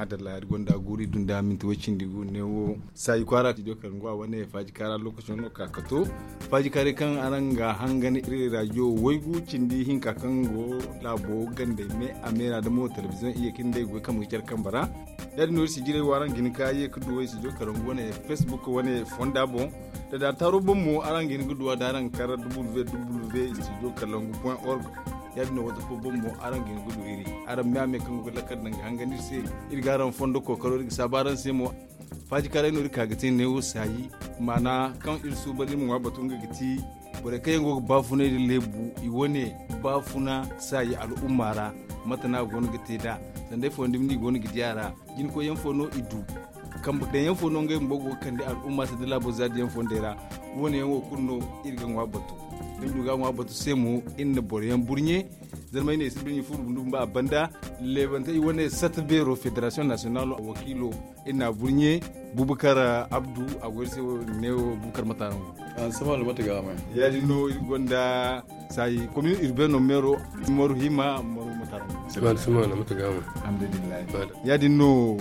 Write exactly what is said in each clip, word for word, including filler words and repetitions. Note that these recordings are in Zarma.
Dalla iri gonda guuri dunda minti way cindi gu neewo saayi kwaara studio karangu a wane faaji kaara lokaco no ka ka to faaji kaaray kaŋ araŋ ga hangan iri raajiyo waygu cindi hinka kaŋ go laabo gandey me a meera da mo telebiziyoŋ iyye kaŋ day goy kaŋ ga care kambe ra. Ya- din no iri si jiray wo araŋ ga hin ka ye ga du way studio karangu wane facebook wane fonda boŋ. Da da taaro boŋ mo araŋ ga hin ga du a da araŋ ga kar www studio karangu point org. Ya- din no wata fo boŋ mo araŋ ga hin ga du iri araŋ me a me kaŋ go ga lakkal daŋ ga hangan iri se. Iri ga araŋ fondo kookaro iri ga saabu araŋ se mo. Faaji kaaray no iri ka ga te neewo saayi maana kaŋ iri suuban iri ma ŋwa batu nga ga ti borey kaŋ yaŋ go ga baafunay nda leebu i wane baafuna saayi al'umma ra. Mate no a go no ga te nd'a sanda ifo nda ni go no ga di a ra. Jinkoyyaŋ fo no i du kambe daŋyaŋ fo no ngey bumbo go ga kande al'umma se nda laabo zaadiyaŋ fondey ra. Wo- ne yaŋ wo kulu no iri ga ŋwa batu. Iri du ga ŋwa batu se mo iri na boro yaŋ burɲe. Zarmay ne si birɲi furu bundu bumbo a banda leebante i wane sata beero federasiyoŋ nasiyonal wakiilo iri na a burɲe. Bubakar abdu a go iri se wo ne wo bubakar matarango. Ansama no mate ga a may. Ya- din no iri gonda saayi komin urbeeno meero maru hima maru matarango. Sima da sima no mate ga a may. Alhamdulillahi. Ya- din no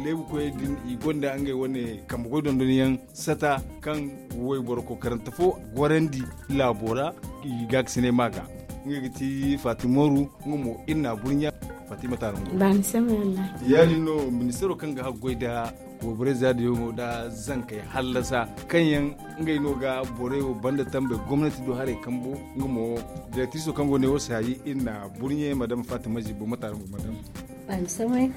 leebu koyey din i gonda ngey wane kambe goy dondon yaŋ sata kaŋ wayboro kookarante fo gorandi laabo ra. I ga ga sinay ma ga nga ga ti fatima ru nga mo iri na a burɲa. Fatima tarango. Baani samay wallahi. Ya- din no ministeero kaŋ ga haggoy nda wayborey zaadiyaŋo nda zankey hallasa kaŋ yaŋ ngey no ga borey wo banda tambe gomnati do haray kambo. Nga mo direktriso kaŋ go ne wo saayi iri na a burɲe madama fatima zibo matarango madama. Baani samay.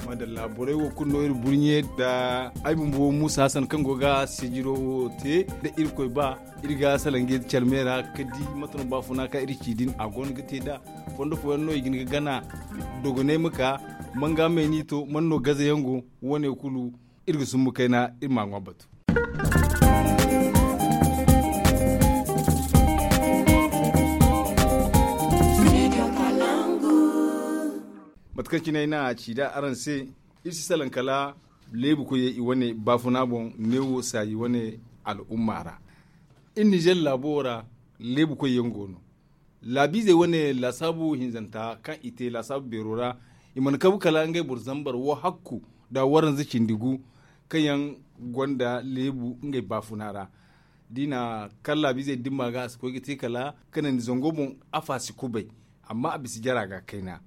Madalla borey wo kulu no iri burɲe nda ay bumbo muusa hasan kaŋ go ga sijiro wo te nda irkoy ba iri ga salaŋ ga iri care me ra ga di mate no baafuna kaŋ iri ci din a go no ga te nd'a. Fondo fooyaŋ no i ga hin ga gana dogonay ma ka man ga a may n'i to man no gazayaŋ go. Wo- ne kulu iri ga sumbu kayna iri m'a ŋwa batu. Mate kaŋ cine ay na a ci nd'a araŋ se iri si salaŋ kala leebu koyey i wane baafuna boŋ neewo saayi wane al'umma ra. Iri nizer laabo wo ra leebu koyyaŋ go no. Laabiizey wane laasaabu hinzanta kaŋ i te laasaabu beero ra i mana kabu kala ngey boro zambar wo hakku nda waranza cindi gu kaŋ yaŋ gonda leebu ngey baafuna ra. Da i na kar laabiizey dimma ga a si koy ga te kala kanandi zango boŋ afa si kubay. Amma a bisa jara ga kayna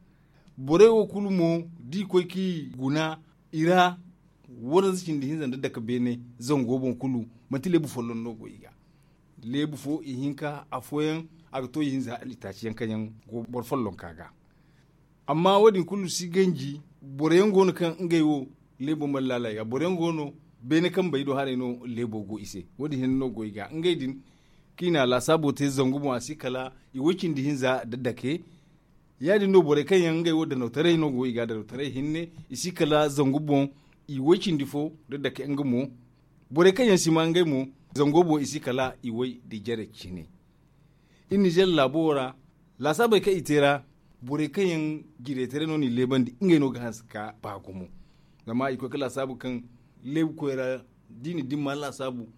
borey wo kulu mo da i koy ka i guna i ra. Waranza cindi hinza nda dake beene zango boŋ kulu manti leebu folloŋ no go i ga. Leebu fo ihinka afooyaŋ a ga to ihinza hala itaaci yaŋ kaŋ yaŋ go boro follonka ga. Amma wo- din kulu si ganji boro yaŋ go no kaŋ ngey wo leebo mana laala i ga boro yaŋ go no beene kambey do haray no leebo go i se. Wo- din hinne no go i ga ngey din kaŋ i na laasaabo te zangu boŋ a si kala i way cindi hinza nda dake. Ya- din no borey kaŋ yaŋ ngey wo danawtaray no go i ga danawtaray hinne i si kala zangu boŋ i way cindi fo nda dake nga mo. Borey kaŋ yaŋ si ma ngey mo zango boŋ i si kala i way da jare cine. Iri nizer laabo wo ra laasaabey kaŋ i te ra borey kaŋ yaŋ jiretaray no no i leebandi ngey no ga hanse ka ba gumo. Zama i koy ka laasaabu kaŋ leebu koy ra da i na dimma laasaabu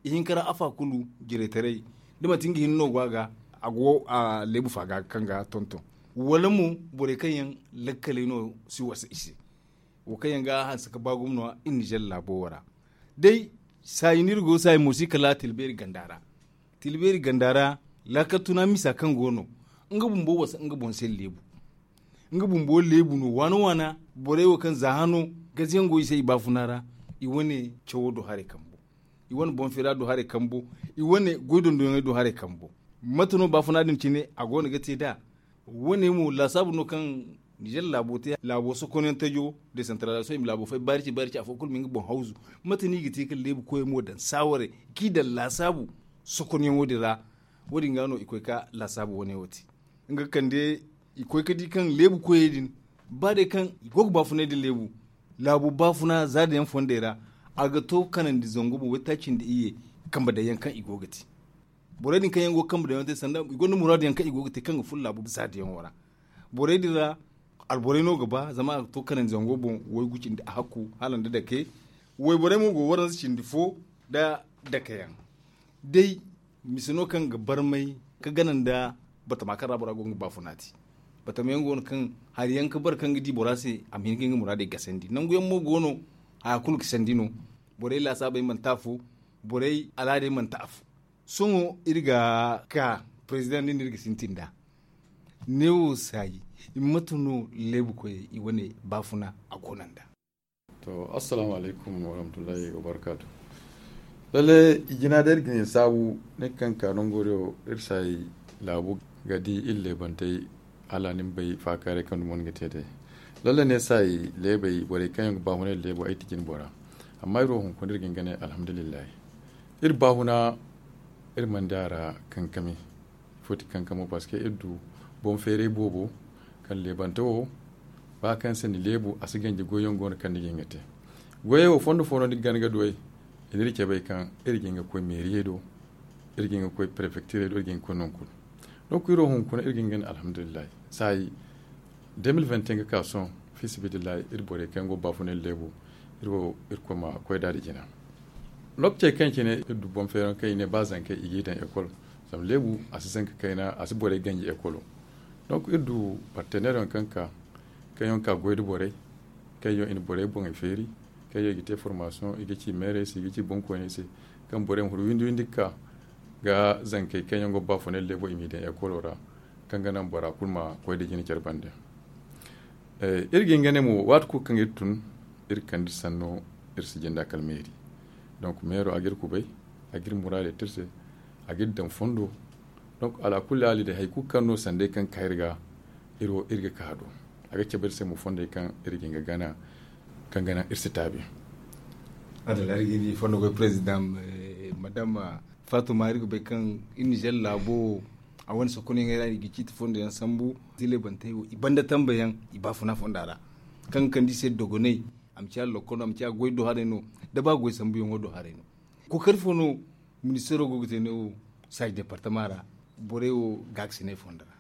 ihinka ra afa kulu jiretaray da manti nga hinne no go a ga a go a leebu fa ga kaŋ ga tonton wala mo borey kaŋ yaŋ lakkaley no si wasa i se. Wo kaŋ yaŋ ga hanse ka ba gumo no a iri nizer laabo wo ra day saayi no iri go saayi mo si kala tilbeeri ganda ra. Tilbeeri ganda ra laakal tuna misa kaŋ go no nga bumbo wasa nga boŋ se leebu. Nga bumbo leebu no waana waana borey wo kaŋ za hano gaziyaŋ go i se i baafuna ra. I wane cawo do haray kambo i wane boŋ feera do haray kambo i wane goy dondonyaŋey do haray kambo. Mate no baafuna din cine a go no ga te nd'a. Wo- ne mo laasaabu no kaŋ nizer laabo te laabo sokonyaŋ tajo desantaralizaasiyoŋ i ma laabo fay baari ci baari ci afo kulu ma nga boŋ hawzu. Mate no i ga te ka leebu koyey mo daŋ saawaray kaŋ i daŋ laasaabu sokonyaŋo din ra. Wo- din ga no i koy ka laasaabu wane wo te nga ga kande i koy ka di kaŋ leebu koyey din ba day kaŋ i go ga baafunay nda leebu laabo baafuna zaada yaŋ fondey ra. A ga to kanandi zangu boŋ waytaaci nda iyye kambe daŋ yaŋ kaŋ i go ga te. Borey din kaŋ yaŋ go ga kambe daŋ yaŋ te sanda i gonda muraadu yaŋ kaŋ i go ga te kaŋ ga furo laabo zaada yaŋo ra. Borey din ra alborey no ga ba zama a ga to kanandi zango boŋ waygu cindi a hakku hala nda dake. Wayborey mo go waranza cindi fo nda dake yaŋ. Day mise no kaŋ ga barmay ka gana nda batama kaŋ ra bora go ga nga baafuna te. Batama yaŋ go no kaŋ hari yaŋ ga bara kaŋ ga di bora se a ma hin ga nga muraadey gasandi nangu yaŋ mo go no. Haya kulu ga sandi no. Borey laasaabey mana te afo. Borey al'aadey mana te afo. Sohõ iri ga ka, perezidaŋ nin no iri ga sintin nd'a. Neewo saayi, mate no leebu koyey i wane baafuna a go no nd'a? To, assalaamu alaykum warahmatullahi wabarakaatu. Lalle, i jina day iri ga ne saabu ne kaŋ ka nango day wo iri saayi laabu ga di iri leebantey. Hala ni ma bay faakaaray kaŋ dumi ni ga te day. Lalle ne saayi leebey borey kaŋ yaŋ ga baahunay leebu ay ti jine bora. Amma iri wo hunkuna iri ga hin ga ne alhamdulillahi. Iri baahuna iri mana di a ra kankami. Foti kankamo parce que iri du boŋ feeray boobo kaŋ leebante wo ba kaŋ se ni leebu a si ganji goyyaŋ go no kaŋ ni ga hin ga te. Goyey wo fondo fo no ni ga gana ga duw'ey. I n'iri cabay kaŋ iri ga hin ga koy meeriyey do. Iri ga hin ga koy prefektirey do iri ga hin ga koy nangu kulu. Donc iri wo hunkuna iri ga hin ga ne alhamdulillahi. Saayi deux mille vingt et un ga ka sohõ, fi sabilillahi iri borey kaŋ yaŋ go ga baafunay leebu. Iri wo irkoy ma koy nd'a da jina. Lookacey kaŋ cine iri du boŋ feeraŋ kaŋ i ne ba zankey i g'i daŋ ekol. Zama leebu a si zanka kayna a si borey ganji ekolo. Donc iri du parteneeryaŋ kaŋ ka kaŋ yaŋ ka goy nda borey kaŋ yaŋ i na borey boŋey feeri kaŋ yaŋ i ga te formasiyoŋ i ga ci meerey se i ga ci boŋkoyney se. Kaŋ borey ma huru windi windi ga ka ga zankey kaŋ yaŋ go ga baafunay leebo i m'i daŋ ekolo ra. Kaŋ ga naŋ bora kulu ma koy nda jina care bande. Iri ga hin ga ne mo waati kulu kaŋ iri tun iri kande iri sanno iri si jinde a kala meeri. Donc meero a ga iri kubay a ga iri muraadey te iri se. A ga iri daŋ fondo. Donc alaakulli haali day hari kulu kaŋ no sanday kaŋ ga ka iri ga iri wo iri ga ka a do. A ga cabe iri se mo fondey kaŋ iri ga hin ga gana kaŋ ga naŋ iri si taabi. Adala iri ga ni fondo goy perezidaŋ madama faatuma iri ga bay kaŋ iri nizer laabo a wane sokonayaŋey ra i ga ciiti fondo yaŋ sambu. Zilebantey wo i banda tambe yaŋ i baafuna fonda ra kaŋ ga kande i se dogonay. A ma ciya lokol no a ma ciya goy do haray no da ba goy sambuyaŋo do haray no. Kookari fo no ministeero go ga te ne wo saaji departama ra borey wo gaakasinay fonda ra.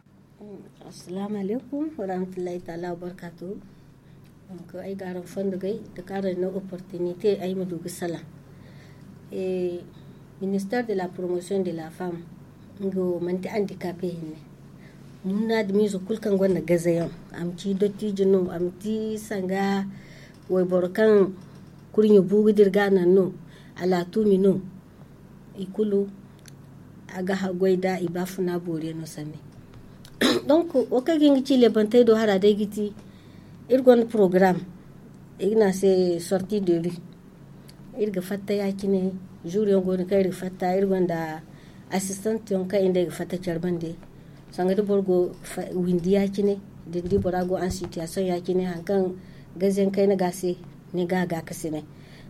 Assalaamu alaykum warahmatullahi taala wabarkaatu. Ay ga araŋ fondo gay da kaŋ araŋ no opportunité ay ma du ga salaŋ. Ministère de la promotion de la femme nga wo manti handicapé hinne. Munna adamiize kulu kaŋ gonda gazayaŋ a ma ci dottiijo no a ma ci sanga wayboro kaŋ kurɲe bu ga dira ga a naŋ no. Alaatumi no i kulu a ga haggoy da i baafuna booriyaŋ no sanni. Donc wo kaŋ ga hin ga ci leebantey do hara day ga ti iri gonda porogaram i ga ne a se sorti de ri. Iri ga fatta ya- cine. Zuuriyaŋ go no kaŋ iri ga fatta iri gonda asistant yaŋ kaŋ iri nd'ey ga fatta care bande. Sanga da boro go windi ya- cine da ni di bora go en situation ya- cine hari kaŋ gazayaŋ kayna ga a se ni ga a gaakasinay.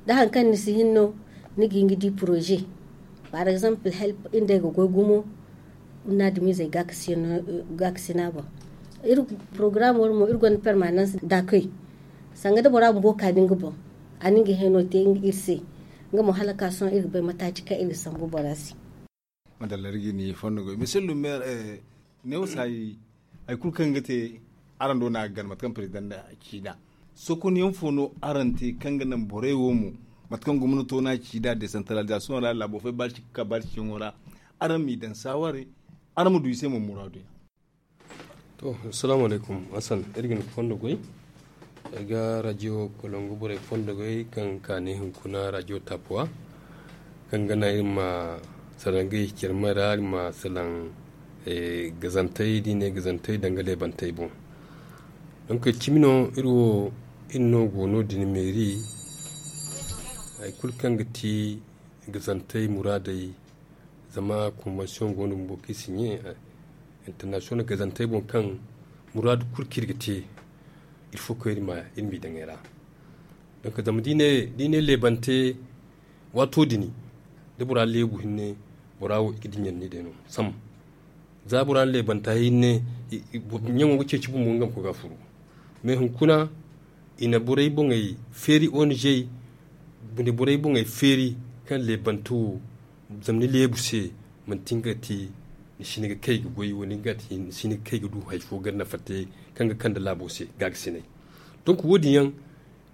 Da hari kaŋ ni si hin no ni ga hin ga di poroze. Par exemple help iri nd'ey ga goy gumo. Ni na adamiizey gaakasina boŋ. Iri porogaram wara mo iri gonda permanans dakoy. Sanga da bora bumbo ka da nga boŋ a na nga heno te iri se. Nga mo hala ka sohõ iri ga bay mataaci kaŋ iri ga sambu bora se. Madalla iri ga ni fondo goy monsieur le maire. Neewo saayi hari kulu kaŋ ga te araŋ do no a ga gana mate kaŋ perezidaŋ ci nd'a. Sokonyaŋ fo no araŋ te kaŋ ga naŋ borey wo mo mate kaŋ gomnato no a ci nd'a desantaralizasiyoŋ ra laabo fay baari cikka baari ciyaŋo ra. Araŋ m'i daŋ saawarey araŋ ma du i se mo muraadu yaŋ. To, assalaamu alaykum. Hassan iri ga ni fondo goy. Ay ga rajiyo kolongu borey fondo goy kaŋ ka ne hunkuna rajiyo tapuwa kaŋ ga naŋ iri ma salaŋ ga i care ma ra iri ma salaŋ gazantey da i ne gazantey danga leebantey boŋ. Donk cimi no iri wo iri no go no- din meeri. Hari kulu kaŋ ga ti gazantey muraadey zama konbansiyoŋ go no bumbo kaŋ i si ɲe internasiyonal gazantey boŋ kaŋ muraadu kulu kaŋ iri ga te. Iri fo kaŋ iri ma iri m'i daŋ ay ra. Donk zama da i ne leebante waato din da bora leebu hinne bora wo i ga diɲandi day no. Sam za bora na leebanta hinne ɲaŋo ga ceeci bumbo nga ma koy ga furu. Mais hunkuna i na borey boŋey feeri ong i na borey boŋey feeri kaŋ leebante wo zama ni leebu se manti nga ga ti ni si hin ga kay ga goy wala ni ga ti ni si hin ga kay ga du hari fo ga nafa te kaŋ ga kande laabo se gaagasinay. Donc wo- din yaŋ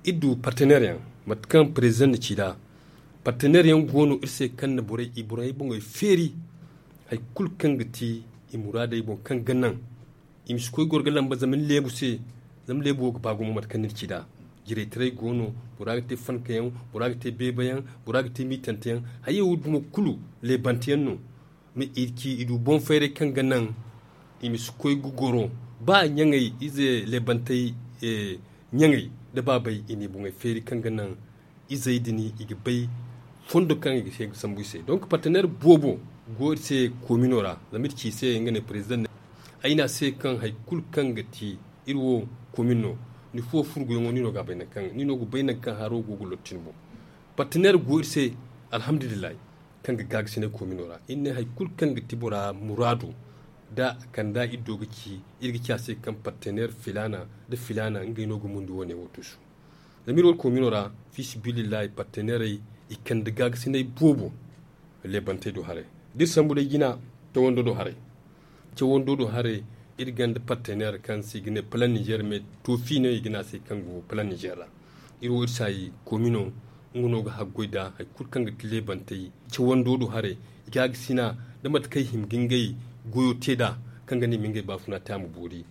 iri du parteneer yaŋ mate kaŋ perezidaŋ na ci nd'a. Parteneer yaŋ go no iri se kaŋ na borey i borey boŋey feeri hari kulu kaŋ ga ti i muraadey boŋ kaŋ ga naŋ I ma si koy goro ga lamba zama ni leebu se. Zama leebu wo ga ba gumo mate kaŋ ni na ci nd'a. Jiraytaray go no. Bora ga te fanka yaŋ. Bora ga te beeba yaŋ. Bora ga te miitante yaŋ. Hayey wo dumo kulu leebante yaŋ no. Ma i ci i du boŋ fayray kaŋ ga naŋ i ma si koy ga goro. Ba ɲaŋey ize leebantey ɲaŋey nda baabey i n'i boŋey feeri kaŋ ga naŋ izey din i ga bay fondo kaŋ i ga sambu i se. Donk parteneer boobo go iri se koomino ra. Zama iri ci i se nga ne parezidaŋ ne ay ne a se kaŋ hari kulu kaŋ ga ti iri wo koomin no. Ni fuwo furguyaŋo ni no ga a bay nangu kaŋ ni no ga bay nangu kaŋ haro go ga lorti ni boŋ. Parteneer go iri se alhamdulillahi, kaŋ ga gaagasinay koomino ra iri ne hari kulu kaŋ ga ti bora muraadu. Da a kand'a iri do ga ci iri ga ci a se kaŋ parteneer filaana nda filaana ngey no ga mundi wane wo tuusu. Zama iri wo koomino ra fiisabilillahi parteneerey i kande gaagasinay boobo. Leebantey do haray da iri sambu day jina cawando do haray. Cawando do haray iri gonda parteneer kaŋ se i ga ne plan niger mais toofi no i ga ne a se kaŋ go plan niger ra. Iri wo iri saayi koomino nga no ga haggoy nd'a hari kulu kaŋ ga ti leebantey cawando do haray. Gaagasina nda mate kaŋ i hima ga ngey goyo te nd'a kaŋ ga ne i ma ngey baafuna te a ma boori.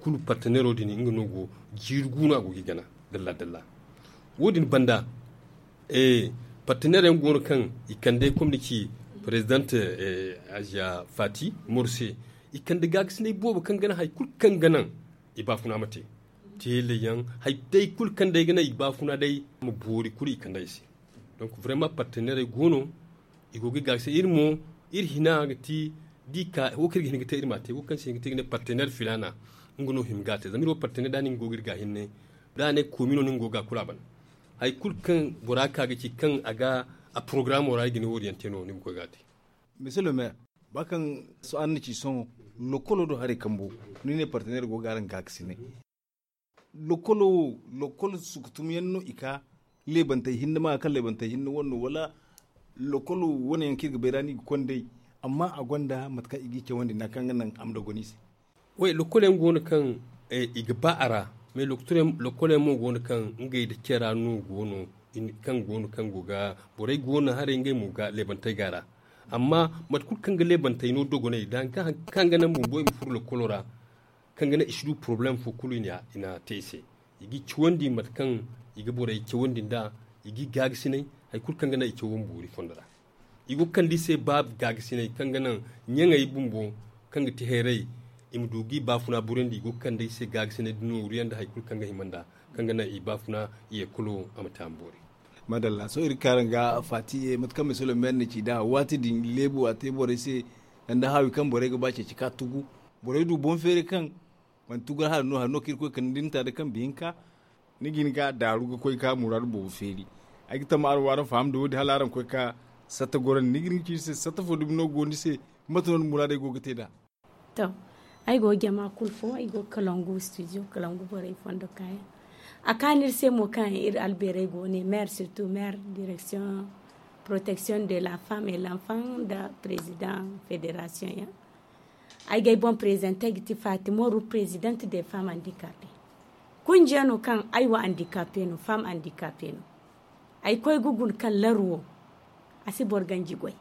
Kulu parteneero din nga no go jiiri guuna go ga i gana dalla dalla. Wo- din banda parteneer yaŋ go no kaŋ i kande komni ci parezidaŋ aziya faati morse. I kande gaagasinay boobo kaŋ ga naŋ hari kulu kaŋ ga naŋ i baafuna ma te. Teele yaŋ hari day kulu kaŋ day ga naŋ i baafuna day ma boori kulu i kande i se. Donk vraiment parteneerey go no. I go ga i gaagasi iri mo iri hina ga ti da i ka wo kaŋ iri ga hin ga te iri m'a te wo kaŋ se i ga te ga ne parteneer filaana. Nga no hima ga a te zama iri wo parteneer da ni nga go ga iri ga hinne da a ne koomino no ni nga go ga a kulu a ban. Hari kulu kaŋ bora ka ga ci kaŋ a ga a porogaraamo ra i ga ne wo- din yaŋ te no ni ma koy ga a te. Monsieur le maire, ba kaŋ araŋ na ci sohõ lokolo do haray kambo ni ne parteneer go ga araŋ gaakasinay. Lokolo wo lokol sukutum yaŋ no i ka leebantey hinne ma kaŋ leebantey hinne wane no wala lokol wane yaŋ kaŋ iri ga bay ra no i ga konda ay amma a gonda mate kaŋ i g'i cawandi nda kaŋ ga naŋ a ma dogon i se. Way lokol yaŋ go no kaŋ i ga ba a ra. Mais lokol yaŋ mo go no kaŋ ngey nda care ra no go no kaŋ go no kaŋ go ga borey go no haray ngey mo ga leebantey ga a ra. Amma mate kulu kaŋ ga leebantey no dogoney da hari kaŋ ga naŋ bumbo i ma furo lokolo ra kaŋ ga naŋ i si du porobalem fo kulu i na te i se. I g'i cawandi mate kaŋ i ga borey cawandi nd'a i g'i gaagasinay hari kulu kaŋ ga naŋ i cawo ma boori fondo ra. I go ga kande i se ba gaagasinay kaŋ ga naŋ ɲaŋey bumbo kaŋ ga ti hayray i ma du g'i baafuna burandi i go ga kande i se gaagasinay da nooru yaŋ nda hari kulu kaŋ ga hima nd'a kaŋ ga naŋ i baafuna i yeekolo a ma te a ma boori. Madalla sohõ iri ga kaaran ga faati ye mate kaŋ misalo meeri na ci nd'a waati din leebu a te borey se. Nda haawi kaŋ borey ga ba ceeci ka tugu borey du boŋ feeri kaŋ manti tugu hala no hala no kaŋ iri koy kande da ni ta da kaŋ bihinka ni ga hin ga daaru ga koy ga muraadu boobo feeri. Ay ga tamma araŋ wo araŋ faham da wo- din hala araŋ koy ga satta gorandi ni ga hin ga ci iri se satta fo dumi no go ni se? Mate no ni muraadey go ga te nd'a? To, ay go ga jama kulu fo ay go ga kalangu studio kalangu borey fondo kaayaŋ. A kaanu iri se mo kaŋ iri albeerey go ne maire surtout maire direction protection de la femme et l'enfant nda président fédération yaŋ. Ay ga ay boŋ présenté ay ga ti fatima ru présidente des femmes handicapées. Kunjiya no kaŋ ay wo handicapée no femme handicapée no. Ay koy ga guna kaŋ laru wo a si boro ganji goy.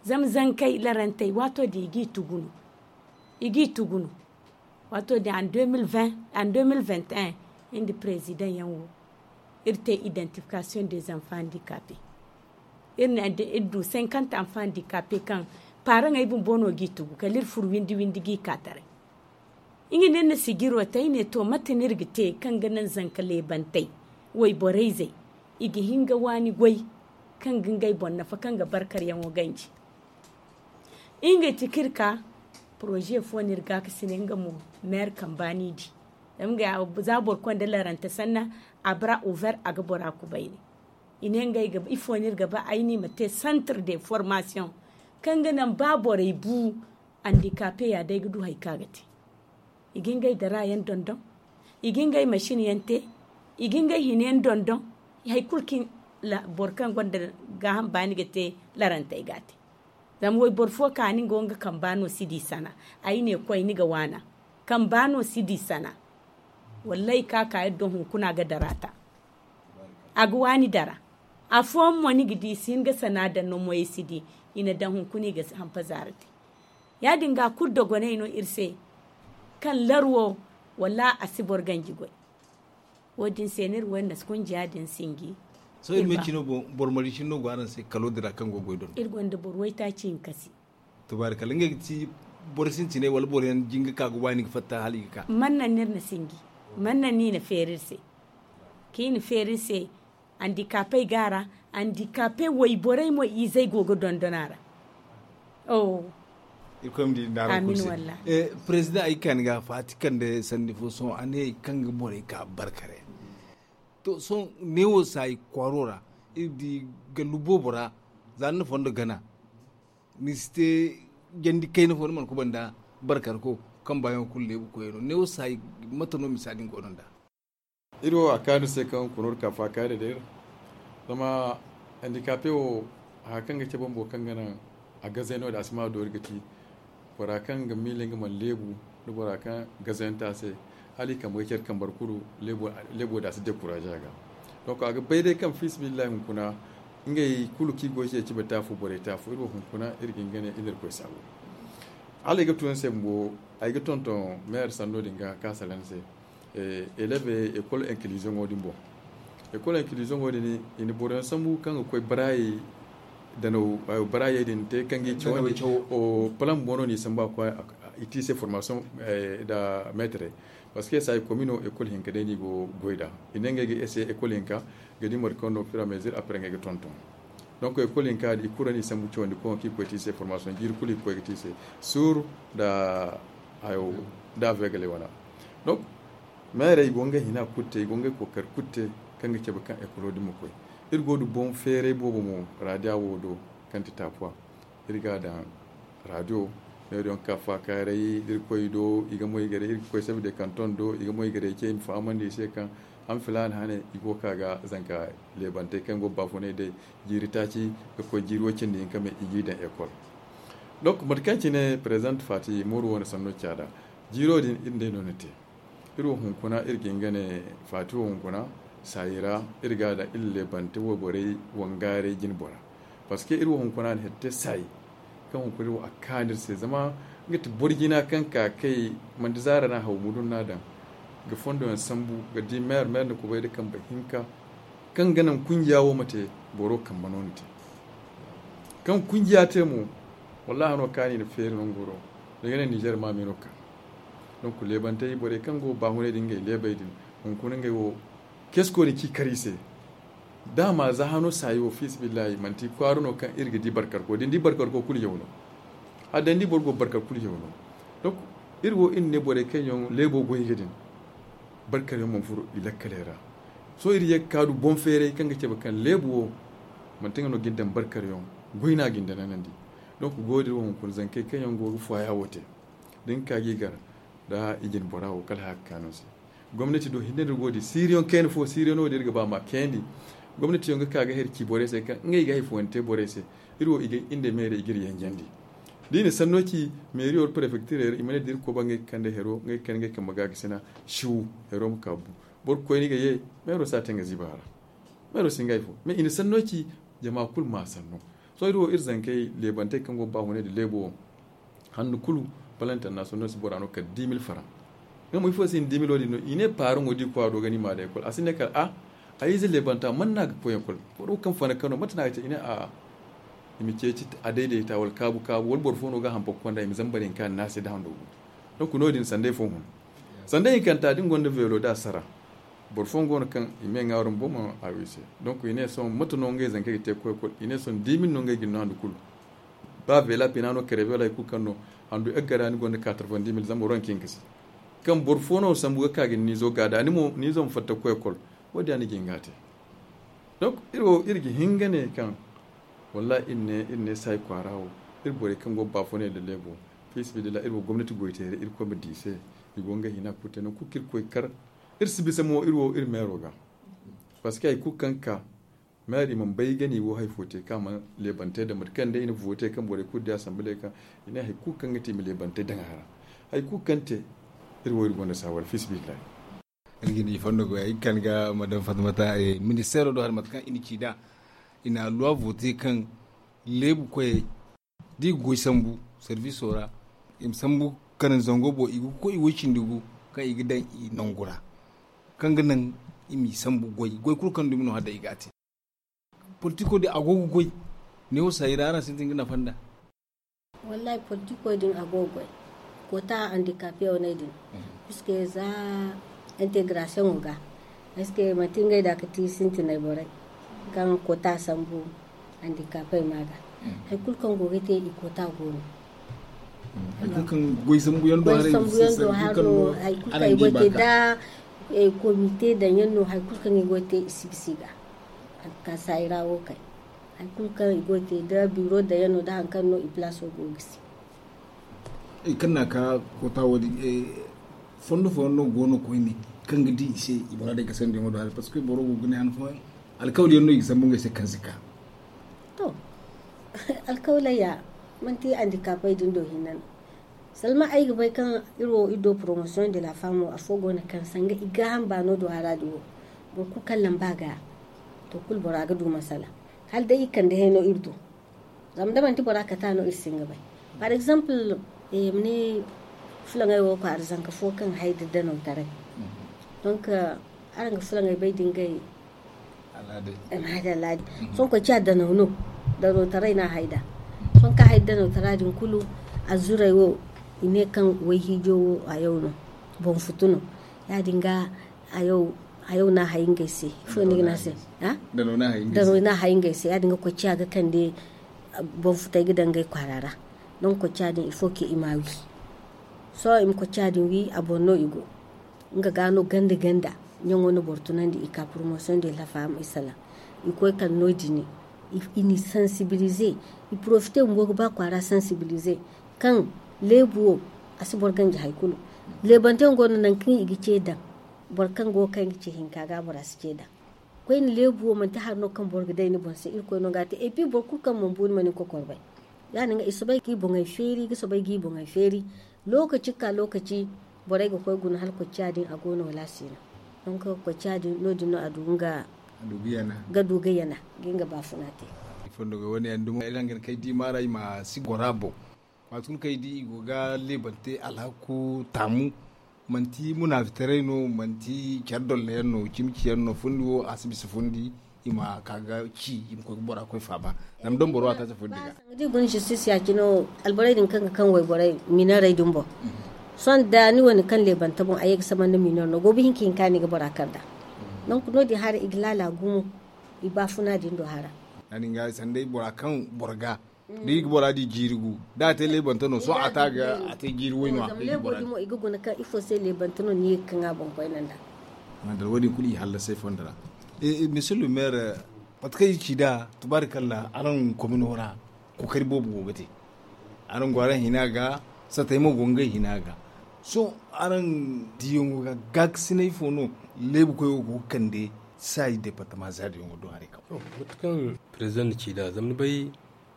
Zama zankey larantey waato din i g'i tugu no. I g'i tugu no. Waato din en deux mille vingt en deux mille vingt et un iri nda président yaŋ wo iri te identification des enfants handicapés. Iri ne iri du cinquante enfants handicapés kaŋ paaraŋey bumbo no g'i tugu kala iri furo windi windi g'i ka taray. Nga no iri na sijiro te ay ne to mate no iri ga te kaŋ ga naŋ zanka leebantey wayborey zey i ga hin ga waani goy kaŋ ga ngey boŋ nafa kaŋ ga barkaryaŋo ganji. Ngey ti kaŋ iri ka poroze fo no iri gaakasinay nga mo meer kamba no i di. Zama ngey za boro konda larante sanna a bara over a ga bora kubayni. I ne ngey ga ifo no iri ga ba ay no i ma te centre de formation kaŋ ga naŋ ba borey bu andikape ya day ga du hari kaŋ a ga te. I ga ngey dara yaŋ dondon. I ga ngey masin yaŋ te. I ga ngey hina yaŋ dondon. Hari kulu kaŋ boro kaŋ gonda gaaham baani ga te larantey ga a te. Zama wayboro fo ka ni go nga kamba no si di sana. Ay ne koy ni ga waana kamba no si di sana. Wallaahi ka ka iri do hunkuna ga dara ta. A ga waani dara. Afooyaŋ mo ni ga di i si hin ga sana daŋ no moyey si di. I na daŋ hunkuna i ga hampa zaara te. Ya- din ga kulu dogoney no iri se. kaŋ larwo wallaahi a si boro ganji goy. Wo- din se no iri wo iri na si kunjiya din sinji. Sohõ iri ma ci no boro mari cine no go araŋ se kalo din ra kaŋ go goy dondo? Iri gonda boro waytaaci hinka se. Tubaari kala ngey ga ti boro sintinay wala boro yaŋ jinga ka ga waani ga fatta hala i ga ka? Mannan no iri na sinji. Mannan no i na feeri iri se. Kaŋ i na feeri iri se andikapey go a ra. Andikape wayborey mo izey go ga dondon a ra. Irkoy ma di nda araŋ kulu se. Président, ay ga ka ni ga faati kande sanni fo sohõ a ne kaŋ ga borey ka barkare. To sohõ neewo saayi kwaaro ra iri di gallu boobo ra. Za ni na fondo gana ni si te jandi kayna fo ni mana kubanda barkarko kaŋ baayaŋo kulu leebu koyey no neewo saayi. Mate no misa din go no nda? Iri wo a kaanu se kaŋ kunur ka faakaari da iri. Zama handikape wo haya kaŋ ga cabe bumbo kaŋ ga naŋ a gazey no- din a si ma doori ga ti bora kaŋ ga miila nga mana leebu nda bora kaŋ gazayante a se. Hala i kambe ga care kambar kulu leebo da a si dekuraaze a ga. Donk a ga bay day kaŋ fiisabilillahi hunkuna ngey kulu kaŋ i go ga ceeci ba taafu borey taafu iri wo hunkuna iri ga hin ga ne iri na iri koy saabu. Hala ay ga tun se bumbo ay ga tonton meyer sanno din ga ka salaŋ se. Eleve ekol inkiliziyoŋo din boŋ. Ekol inkiliziyoŋo din i na boroyaŋ sambu kaŋ ga koy baraayey danaw baraayey din te kaŋ ga i cawandi. Palaŋ bumbo no no i sambu a koy i te i se formasiyoŋ nda meetarey. Parceque saayi komino ekol hinka day no i go ga goy nd'a. I ne ngey ga ese ekol hinka ga di mate kaŋ no firamezir apre ngey ga tonton. Donk ekol hinka din i kulu ra no i sambu cawandi koŋo kaŋ i ga koy te i se formasiyoŋ jiiri kulu i ga koy ga te i se suuru nda hayo nda aveegaley wane. Donk meerey i go ngey hina kulu te i go ngey kookari kulu te kaŋ ga cabe kaŋ ekolo din ma koy. Iri go ga du boŋ feeray boobo mo raadiya wo do kaŋ ti taapuwa. Iri ga a daŋ raadiyo meeriyaŋ ga ka faakaaray da iri koy i do i ga moy garay iri ga koy sabiday kanton do i ga moy garay ce i ma fahamandi i se kaŋ han filaana hane i go ga ka ga zanka leebantey kaŋ go ga baafunay day jiiri taaci ga koy jiiri way cindi hinka me i g'i daŋ ekol. Donk mate kaŋ cine prezident faati mooru wo na sanno caada jiiro din iri nd'ey no na te. Iri wo hunkuna iri ga hin ga ne faati wo hunkuna saayi ra iri ga a daŋ iri leebante wayborey wangaaray jine bora. Parceque iri wo hunkuna na hari te saayi kaŋ hunkuna iri wo a kaanu iri se zama nga ti boro jina kaŋ ka kay manti zaara no a haw mudun no a daŋ ga fondo yaŋ sambu ga di meer meer na kubay nda kambe hinka kaŋ ga naŋ kunjiya wo ma te boro kambe no na te. Kaŋ kunjiya te mo wallaahi no kaani na feeri nango do da ga ne nizer maami no ka. Donk leebantey borey kaŋ go ga baahunay din ngey leebey din hunkuna ngey wo kesko din ci kar i se. Daama za hano saayi wo fiisabilillahi manti kwaara no kaŋ iri ga di barkarko da ni di barkarko kulu yaw no. Hala day ni di boro go barkar kulu yaw no. Donk iri wo iri na ne borey kaŋ yaŋ leebo goy ga din barkar yaŋ mana furo i lakkaley ra. Sohõ iri ye ga ka du boŋ feeray kaŋ ga cabe kaŋ leebo wo manti nga no ga ni daŋ barkar yaŋ goy no a ga ni daŋ nanandi. Donk go din iri wo hunkuna zankey kaŋ yaŋ go ga fooya wo te da ni ka ga i gar nda i jine bora wo kala haya ga kaanu se. Gomnati do hinne din go din siiriyaŋ kayna fo siiriyaŋ no din iri ga ba ma kayandi. Gomnati yaŋ ga ka ga hari ci borey se kaŋ ngey ga hari fooyaŋ te borey se. Iri wo i ga iri nda meerey i ga iri yanjandi da i na sanno ci meeriyo wala prefektirey ra i ma ne da iri koba ngey ga kande hero ngey ga kande ngey kambe ga ga sina. Siwu hero ma ka bu boro ga koy no i ga ye. Meero si a te nga ziiba ra meero si nga hari fo mais i na sanno ci jama kulu ma sanno. Sohõ iri wo iri zankey leebantey kaŋ go ga baafunay nda leebo wo handu kulu balantana sohõ no si bora no kala dix mille faran. Nga mo ifo se i na dix mille wo- din no i ne paaraŋo da i koy a do ga ni ma daŋ ekol a si ne kala a ay ize leebanta man no a ga koy ekol boro kaŋ fana kano mate no a ga te i ne a'a. I ma ceeci a daydayta wala kaabu kaabu wala boro fo no ga a hampa ga konda i ma zambar hinka ni no a se nda hando gu. Donk no- din sanday fo hun sanday hinkanta da ni gonda veelo da a sara. Boro fooyaŋ go no kaŋ i ma ye ŋwaarum boŋ mana a wi se. Donk i ne sohõ mate no ngey zankey ga te ga koy ekol i ne sohõ dix mille no ngey ga ni no handu kulu. Ba veela pina no kare veela hari kulu kaŋ no handu eggara ni gonda quatre-vingt-dix mille zama boro yaŋ ga hin ga si kaŋ boro fo no sambu ga ka ga ni niizo gaada ni mo niizo ma fatta ga koy ekol. Wo- din ya no i ga hin ga a te. Donk iri wo iri ga hin ga ne kaŋ wallahi iri ne iri ne saayi kwaara wo iri borey kaŋ go ga baafunay nda leebo fiisabilillahi iri wo gomnati goyteeri irkoy ma di i se. I go ngey hina kulu te nangu kulu kaŋ iri koy kar iri si bisa mo iri wo iri meero ga. Parceque hari kulu kaŋ ga ka meero i mana bay ga ni wo hari fo te kaŋ a mana leebante daŋ mate kaŋ day i na vote kaŋ borey kulu di asamble kaŋ i ne hari kulu kaŋ ga te i ma leebante daŋ a ra. Hari kulu kaŋ te iri wo iri gonda saawara fiisabilillahi. Iri ga ni fondo goy ay ga ka ni ga madame fatimata ministeero do hari mate kaŋ i na ci nd'a i na a luwa vote kaŋ leebu koyey da i ga goy sambu serviso ra i ma sambu kanaŋ zango boŋ i ga koy i way cindi gu kaŋ i ga daŋ i nangu ra, kaŋ ga naŋ i m'i sambu goy goy kulu kaŋ dumi no hala day i ga a te. Politiko din a go ga goy neewo sayi ra araŋ sintin ga nafa nd'a? Wallahi politiko din a go ga goy koota handikape wane din, puisque za integration ga est ce que manti ngey da ga ti sintinay borey kaŋ koota sambu handikape ma ga. Hari kulu kaŋ go ga te i koota go no. Hari kulu kaŋ goy sambu yaŋ do haray, hari kulu kaŋ i go ga te da komite daŋ yaŋ no hari kulu kaŋ i go ga te i si bisa i ga. Hari kulu kaŋ sayi ra wo kay hari kulu kaŋ i go ga te da biro daŋ yaŋ no da hari kaŋ no i place wo go ga gisi. Kaŋ na ka koota wo- din fondo fooyaŋ no go no koyne kaŋ ga di i se i muraadey ga sandi yaŋo do haray parce que boro go ga ne han fooyaŋ alkawali yaŋ no i ga sambu ngey se kaŋ si ka. To, alkawaley ya manti handikapey din do hinne no. Salma ay ga bay kaŋ iri wo iri do promotion de la femme wo afo go no kaŋ sanga i gaaham baano do hara din wo. Boro kulu kaŋ lamba ga to kulu bora ga du masala hala day i kande hayno iri do. Zama da manti bora kata no iri si hin ga bay. Par exemple, ma ne fulaŋey wo kwaara zanka fo kaŋ hay da danaw taray. Donc araŋ ga fulaŋey bay da ngey al'aadey. Sohõ koy ciya danaw no. Danaw taray no a hay nd'a. Sohõ kaŋ hay da danaw tara din kulu a zuray wo i ne kaŋ wayhiijo wo hayaw no. Boŋ futu no. Ya- din ga hayaw no a hay ngey se ifo ni ga ne a se? Danaw no a hay ngey se ya- din ga koy ciya ga kande boŋ futey ga daŋ ngey kwaara ra. Donk koy ciya din ifo ke i ma a wi. Sohõ i ma koy ciya din wi a boŋ no i go. Nga ga no ganda ganda ɲaŋo na boro tunandi i ka promotion de la femme i salaŋ. I koy kala no- din i n'i sensibiliser. I profiter bumbo ga ba kwaara sensibiliser kaŋ leebu wo a si boro ganji hari kulu. Leebante yaŋ go no nangu kaŋ i ga ce daŋ boro kaŋ go ga kay nga ce hinka ga bora si ce daŋ. Koyne leebu wo manti hari no kaŋ boro ga day ni boŋ se irkoy no ga a te et puis boro kulu kaŋ mana bu ni mana ni kokor bay. Ya- din ga i soobay ga i boŋey feeri ga soobay ga i boŋey feeri. Lookaci ga ka lookaci borey ga koy guna hala koy ciya din a go no wala a si no. Donk koy ciya din no- din no a du nga ga du ga yana ga nga baafuna te. Ifo nda ga wane yaŋ dumo ay ra nga ni kay di maaray ma si gora boŋ. Waati kulu kaŋ ay di i go ga leebante alhaku taamu. Manti munaafitaray no manti care dolla yaŋ no cimi ciyaŋ no fundi wo a si bisa fundi. I ma ka ga ci i ma koy ga bora koy faaba. Zama da boro a taasi fundi ga da i guna justice ya- cine wo alborey din kaŋ ga kaŋ wayborey mineerey din boŋ. Sohõ da ni wane kaŋ leebante boŋ a ye ga saba nda mineer no goobu hinka hinka no i ga bora kar nd'a. Donk no- din hara i ga laala gumo i baafuna din do hara. Ya- din ga sanday bora kaŋ boro ga da i ga bora di jiiri gu da a te leebante no sohõ a te a ga a te jiiri way no a ga i ga bora di. I ga guna kaŋ ifo se leebante no ni ye ga kaŋ a boŋ koyne nd'a. Madalla wo- din kulu i hallasay fondo ra. Monsieur le maire, mate kaŋ i ci nd'a tubaari kalla araŋ komino ra kookari boobo go ga te. Araŋ go araŋ hina ga satay mo go ngey hina ga. Sohõ araŋ diyaŋo ga gaakasinay fo no leebu koy wo go ga kande saayi departama zaari yaŋo do haray kaŋ mate kaŋ president na ci nd'a zama ni bay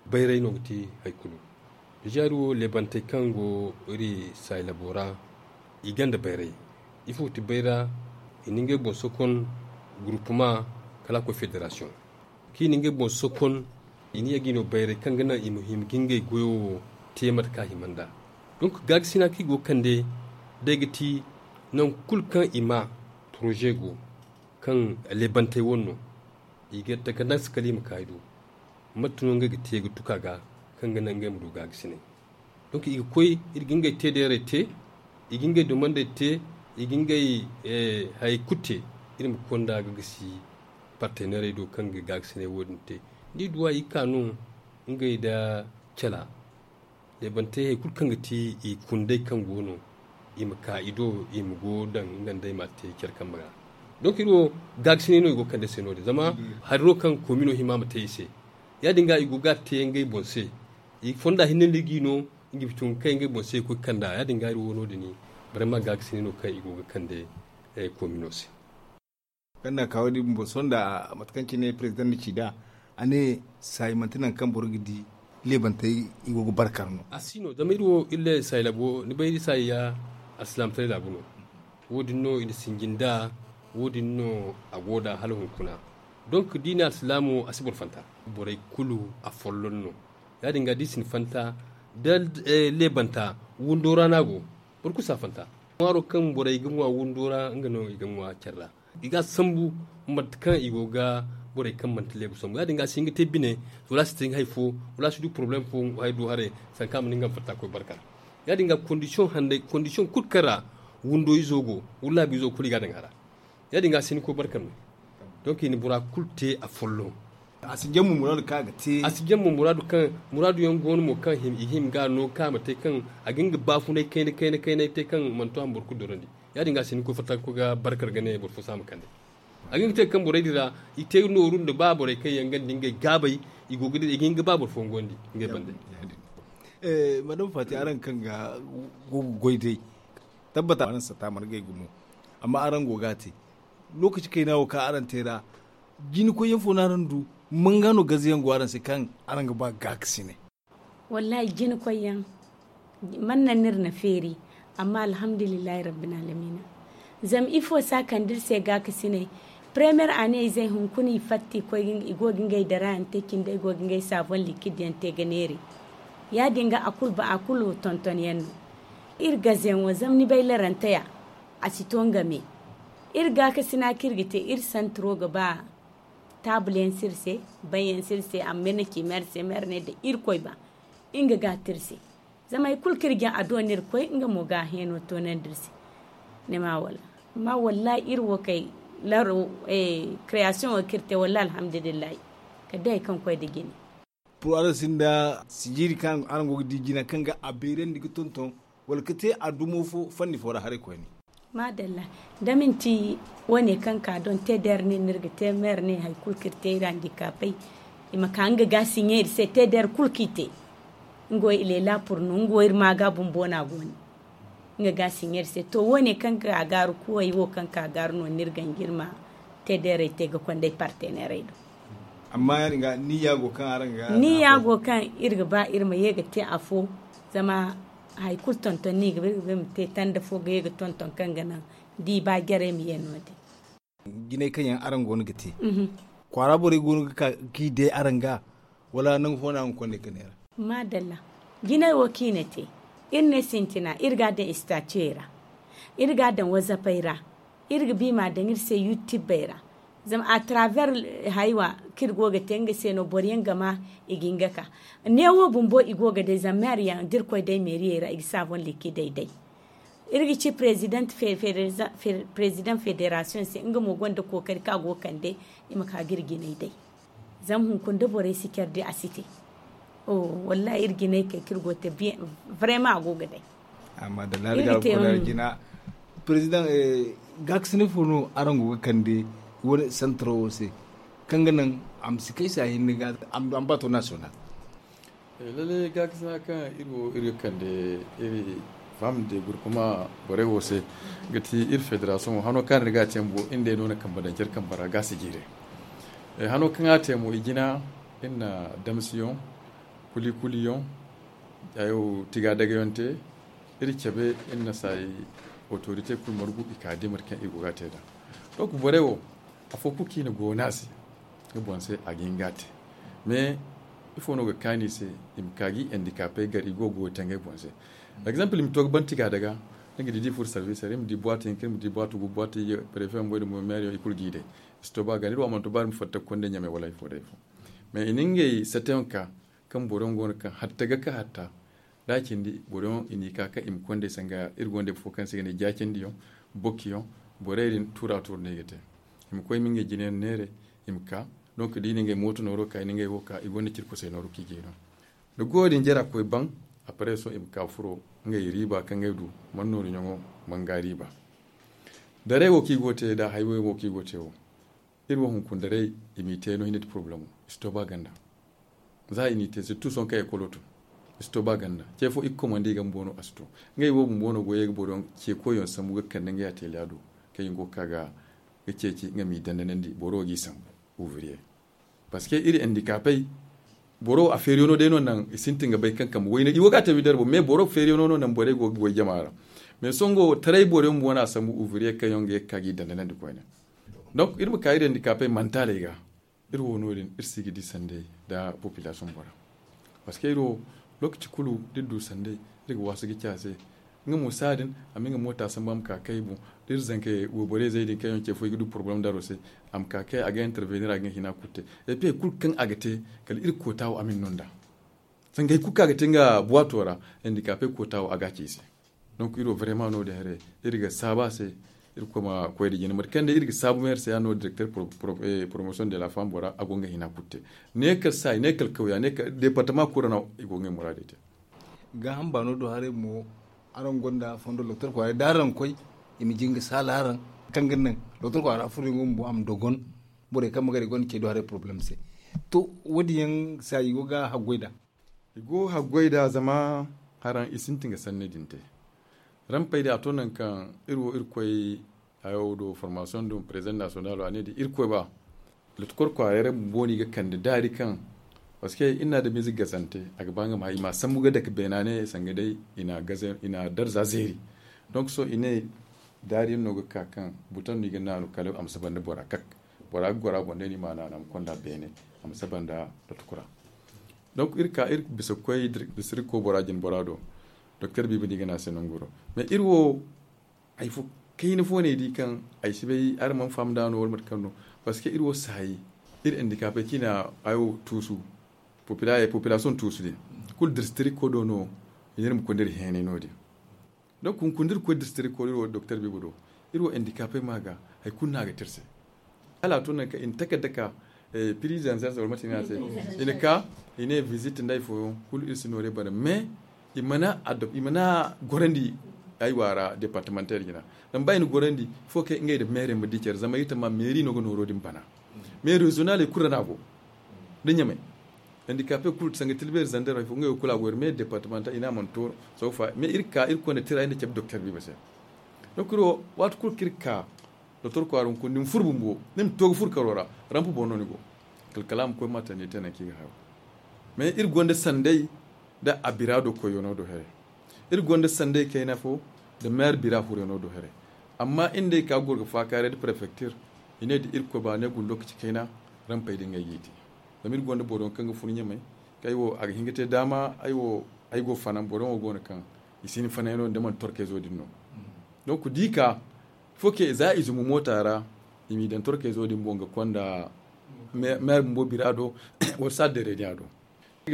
bayray no ga te hari kulu. Déjà iri wo leebantey kaŋ go iri saayi labo ra i gonda bayray. Ifo ga ti bayra? I na ngey boŋ sokon groupement kala a koy fédération kaŋ i na ngey boŋ sokon. I na ye ga i no bayray kaŋ ga naŋ i ma hima ga ngey goyo wo te mate kaŋ a hima nd'a. Donc gaakasina kaŋ i go ga kande day ga ti nangu kulu kaŋ i ma projet go kaŋ leebantey wane no i ga takandans kala i ma ka i do. Mate no ngey ga te ga tuka ga kaŋ ga naŋ ngey ma du gaagasinay? Donc i ga koy iri ga ngey te deerey te, i ga ngey dumandey te, i ga ngey hari kulu te. Iri ma konda ga gisi parteneerey do kaŋ ga gaagasinay wo- din te. Ni duwa i ga ka no ngey nda cala leebantey hari kulu kaŋ ga ti i kundey kaŋ go no i ma ka i do i ma go daŋ nga nd'ey ma te care kambe ra. Donc iri wo gaagasinay no i go ga kande se no- din zama hari no kaŋ komino hima ma te i se. Ya- din ga i go ga a te ngey boŋ se. I fonda hinne no i g'i no nga bituŋ ga kay ngey boŋ se ga koy ga kand'a ya- din ga iri wo no- din. Barama gaagasinay no kaŋ i go ga kande komino se. Kaŋ na a ka wo- din bumbo sohõ nda mate kaŋ cine president na ci nd'a a ne saayi manti nangu kaŋ boro ga di leebantey i go ga barkar no. A si no zama iri wo iri le saayi labo ni bay iri saayi ya alsilaamataray laabu no. Wo- din no i na sinji nd'a wo- din no a go nd'a hala hunkuna. Donc da i ne alsilaamo a si boro fanta. Borey kulu a folloŋ no. Ya- din ga da i si ni fanta da leebanta windo ra no a go. Boro kulu saafanta ŋwaaro kaŋ borey ga ŋwa windo ra nga no i ga ŋwa care ra. I ga a sambu mate kaŋ i go ga borey kaŋ manti leebu sambu ya- din ga a si hin ga te bine, wala a si te hari fo, wala a si du porobalem fo hari do haray. Sanka a ma ni nga ma fatta koy barka ra. Ya- din ga kondisiyoŋ handay kondisiyoŋ kulu kaŋ ra windo izo go, wala laabu izo kulu i ga a daŋ a ra. Ya- din ga a si hin ga koy barka ra. Donk i na bora kulu te a folloŋ. A si jamma muraadu kaŋ a ga te a si jamma muraadu kaŋ muraadu yaŋ go no mo kaŋ i hima ga a no kaŋ a ma te kaŋ a ga nga baafunay kayna kayna kayna te kaŋ mana to a ma boro kulu dorandi. Ya- din ga a si hin ga koy fatta ga koy ga barka ra ga ne boro fo si a ma kande. A ga hin ga te kaŋ borey din ra i te nooru nda ba borey kaŋ yaŋ ganda ngey gaabay, i go ga hin ga ba boro fooyaŋ gondi ngey bande. Madama faati araŋ kaŋ ga go ga goy day, tabbata araŋ satta mana gay gumo. Amma araŋ go ga a te lookaci kayna wo kaŋ araŋ te ra, jina koyyaŋ fo no araŋ du? Manga no gaze yaŋ go araŋ se kaŋ araŋ ga ba gaakasinay? Wallaahi, jina koyyaŋ man naŋ no iri na feeri. Amma alhamdulillahi rabbil alamina. Zama ifo si a kande iri se gaakasinay? Premiyer ane izey hunkuna i fatta i go ga ngey darayaŋ te cindi i go ga ngey saabon likid yaŋ te ga neeri. Ya- din ga a kulu tonton yaŋ no. Iri gaze yaŋ wo zama ni bay larante ya, a si to nga me. Iri gaakasina kaŋ iri ga te iri santiro ga ba. Taabul yaŋ si iri se, ban yaŋ si iri se, amma iri na ci meer se meer ne da irkoy ba nga ga a te iri se. Zama hari kulu kaŋ iri ga a doona iri koy nga mo ga a heeno toonandi iri se. Ni ma wala? Amma wallaahi iri wo kay laro, kireyasiyoŋo kaŋ iri te wallaahi alhamdulillahi. Kala day hari kaŋ koy nda jine. Pur araŋ sinda sijiiri kaŋ araŋ go ga di jina kaŋ ga a beerandi ga tonton, wala ga te a dumo fo fanni fo ra haray koyne? Maadalla. Da manti wo- ne kaŋ ka doŋ te da iri ne no iri ga te ma iri ne hari kulu kaŋ iri te iri andikaapey, i ma ka nga ga a siɲe iri se te da iri kulu kaŋ i te. Nga wo i leela pur no nga wo iri ma ga bumbo no a go no. Nga ga a siɲe iri se to wo- ne kaŋ ka gaaru kuwey wo kaŋ ka gaaru no no iri ganji iri ma te da iri te ga konda ay parteneerey do. Amma ya- din ga niyya go kaŋ araŋ ga niyya go kaŋ iri ga ba iri ma ye ga te afo. Zama hari kulu tonton no i ga ba iri ga ba iri ma te tanda fo ga ye ga tonton kaŋ ga naŋ da i ba jarey ma ye no- din. Jinay kaŋ yaŋ araŋ go no ga te, kwaara borey go no ga ka ga i day araŋ ga? Wala nangu fo no a hunkuna ne ga neera? Maadalla. Jinay wo kaŋ i na te, iri ne sintina iri ga a daŋ istaaciyey ra, iri ga a daŋ wazapey ra, iri ga ba i ma a daŋ iri se yutibey ra. Zama a taraver haywa kaŋ iri go ga te nga se no boro yaŋ ga ma i ga hin ga ka. Neewo bumbo i go ga day zama meeri yaŋ da iri koy day meeriyey ra i ga saabon likidey day. Iri ga ci perezidaŋ federasiyoŋ se nga mo gonda kookari kaŋ a go ga kande i ma ka ga iri jinay day. Zama hunkuna da borey si care day a si te. Wallaahi iri jinay kay kaŋ iri go ga te. Vraiment a go ga day. Amma da laali ga alkulaari jina. Perezidaŋ, gaakasinay fo no araŋ go ga kande? Wani santaro wo se kaŋ ga naŋ a ma si kay se a hinne ga a ma du a ma baato nasiyonal. Lalle gaakasina kaŋ iri wo iri ga kande iri faham de gurkuma borey wo se ga ti iri federasiyoŋo hano kaŋ iri ga a te mo iri day no na kambe daŋ care kambe ra ga a si jiire. Hano kaŋ a te mo i jina iri na damsiyoŋ, kuli-kuliyoŋ, tiga dagayoŋ te. Iri cabe iri na saayi otorite kulu margu i ka dimir kaŋ iri go ga a te nd'a. Donk borey wo afo kulu kaŋ i na goona a se nga boŋ se a ga hin ga a te. Mais ifo no ga kaani i se? I ma ka ga i andikaapey gar i go ga goyo te ngey boŋ se. Egzanpil i ma to ga ban tiga daga ni ga di da i furo sarbiisey ra i ma di buwaati hinka i ma di buwaati gu buwaati iyye prefe bumbo nda mo meeriyo i kulu ga i day. I si to ba ganda iri wo a mana to ba iri ma fatta ga konda ɲamey wala hari fo day fo. Mais i na ngey sateyaŋ ka kaŋ boro yaŋ go no kaŋ hatta ga ka hatta da a cindi boro yaŋ i n'i ka kaŋ i ma konda ay sanga iri gonda ay fo kaŋ se i ga ne jaacindiyaŋ, bokiyaŋ. Borey din tuura tuura no i ga te. I ma koy i ma ngey jinayaŋ neere i ma ka. Donk da i na ngey mooto nooro ka i na ngey wo ka i gonda cirkusey nooru kaŋ i ga i no. Da goyo din jara koy baŋ, apare sohõ i ma ka furo ngey riiba kaŋ ngey du man noori ɲaŋo man ga riiba. Daray wo kaŋ i go ga te da haywey wo kaŋ i go ga te wo, iri wo hunkuna daray i m'i te no hinne nda porobalemo i si to ba ganda. Za i n'i te sirtu sohõ kaŋ ekolo tun i si to ba ganda. Ce fo i ga komandi i ga bumbo no a si to. Ngey wo bumbo no go ye ga boro yaŋ ce koyyaŋ sambu ga kande ngey ateliya do kaŋ i go ga ka ga ceeci nga m'i dandanandi boro wo g'i sambu. Ouvrier. Parceque iri andikaapey boro wo a feeriyaŋo day no naŋ i sintin ga bay kaŋ kambe wayne i wo ga a te widar boŋ mais boro feeriyaŋo no naŋ borey go ga goy jama ra. Mais sohõ nga wo taray boro yaŋ bumbo no a sambu ouvrier kaŋ yaŋ ga ye ga ka g'i dandanandi koyne. Donc iri ma ka iri andikaapey mantaley ga. Iri wo no- din iri si ga di sanday nda populasiyoŋ bora. Parceque iri wo lookaci kulu da iri du sanday iri ga waasu ga ci a se. Nga mo saadin a ma nga moota sambu a ma ka kay boŋ. Iri zanka wayborey zey din kaŋ yaŋ ce fo i ga du porobalem daro se. A ma ka kay a ga intervenir a ga nga hina kulu te. Et puis hari kulu kaŋ a ga te, kala iri koota wo a ma ni no nd'a. Zanga hari kulu kaŋ a ga te nga buwaato ra, handicapé koota wo a ga a ci i se. Donc iri wo vraiment no- din haray, iri ga saabu a se. Iri koy ma koy da jina mate kaŋ day iri ga saabu meeri se ya no directeur promotion de la femme bora a go nga hina kulu te. Ne kala saayi ne kala kawya ne kala département kulu ra no i go nga muraadey te. Gaaham baano do haray mo, araŋ gonda fondo docteur kwaara da araŋ koy, i ma jin ga saala araŋ kaŋ ga naŋ docteur kwaara furo yaŋ bumbo a ma dogon. Borey kaŋ ma gari gonda ce do haray problème se. To, wo- din yaŋ se i go ga haggoy nd'a. I go haggoy nd'a zama haraŋ i sintin ga sanni din te. Rampey din a to nangu kaŋ iri wo iri koy hayo do formation do président national a ne din iri koy ba. Lotukor kwaarey ra bumbo no i ga kande daari kaŋ, parce que iri na adamize gazante a ga ba nga ma i ma sambu ga dake beena ne sanga day i na darza zeeri. Donc sohõ i ne daari yaŋ no ga ka kaŋ buton no i ga naanu kala a ma si banda bora kak. Bora ga goro a boŋ day no i ma a naanu a ma konda beene, a ma si banda lotukura. Donc iri ka iri bisa ga koy district ko bora jin bora do. Docteur biiba no i ga ne a se nanguro. Mais iri wo hari fo kayna fo no ay di kaŋ ay si bay araŋ mana faham nd'a no wala mate kaŋ no. Parce que iri wo saayi iri handicapé kaŋ i na hayo tuusu, population tuusu din kulu district ko do no. I ne iri ma koy nda iri heenay no- din. Donc hunkuna da iri koy district ko iri wo docteur biiba do, iri wo handicapé ma ga hari kulu no a ga te iri se. Hala a to nangu kaŋ i na takarda ka prix de réserve wala mate no i ne a se. I na ka i ne visite nda hari fooyaŋ kulu iri si nooru bare mais i mana gorandi. Ay waara départemental jina zama ba i na gorandi fo kaŋ ngey nda maire ma di care zama iri tamma mairie no ga nooro din bana. Mais régional kulu ra no a go nda ɲamay handicapé kulu sanga tilbeeri zander hay fo ngey wo kulu a go iri mais départemental i ne a mana to. Sawfa mais iri ka iri konda tira ay nda cabe docteur biiba se. Donc iri wo waati kulu kaŋ iri ka docteur kwaara hunkuna da ni furo bumbo ni ma to ga furo karo ra. Rampe boŋ no ni go kala kala a ma koy ma tandi te nangu kaŋ i ga hayo. Mais iri gonda sanday nda a bira do koyyaŋo do haray. Iri gonda sanday kayna fo nda maire bira huryaŋo do haray. Amma iri nda ay ka goro ga faakaaray nda préfecture i ne da irkoy ba ne guna lokaci kayna. Rampey din ga ay ga i te zama iri gonda boro yaŋ kaŋ ga fun ɲamay kaŋ ay wo a ga hin ga te daama ay wo ay go fanaŋ boro yaŋ wo go no kaŋ i si hin fanayaŋo nda mana torkayzo din no. Donc da i ka fo ke za i zumbu moota ra i m'i daŋ torkayzo din boŋ ga konda maire bumbo bira do wala salle de réunion do.